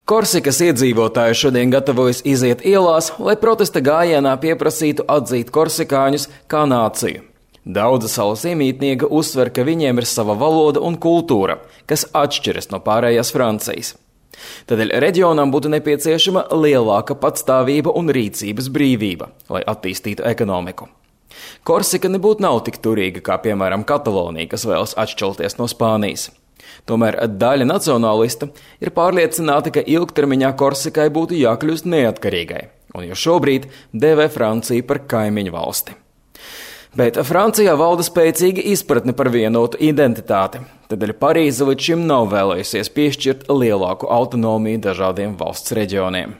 Korsikas iedzīvotāji šodien gatavojas iziet ielās, lai protesta gājienā pieprasītu atzīt korsikāņus kā nāciju. Daudzi salas iemītnieki uzsver, ka viņiem ir sava valoda un kultūra, kas atšķiras no pārējās Francijas. Tādēļ reģionam būtu nepieciešama lielāka patstāvība un rīcības brīvība, lai attīstītu ekonomiku. Korsika nebūtu nav tik turīga kā, piemēram, Katalonija, kas vēlas atšķelties no Spānijas. Tomēr daļa nacionālistu ir pārliecināta, ka ilgtermiņā Korsikai būtu jākļūst neatkarīgai, un jau šobrīd dēvē Franciju par kaimiņu valsti. Bet Francijā valda spēcīga izpratne par vienotu identitāti, tādēļ Parīze līdz šim nav vēlējusies piešķirt lielāku autonomiju dažādiem valsts reģioniem.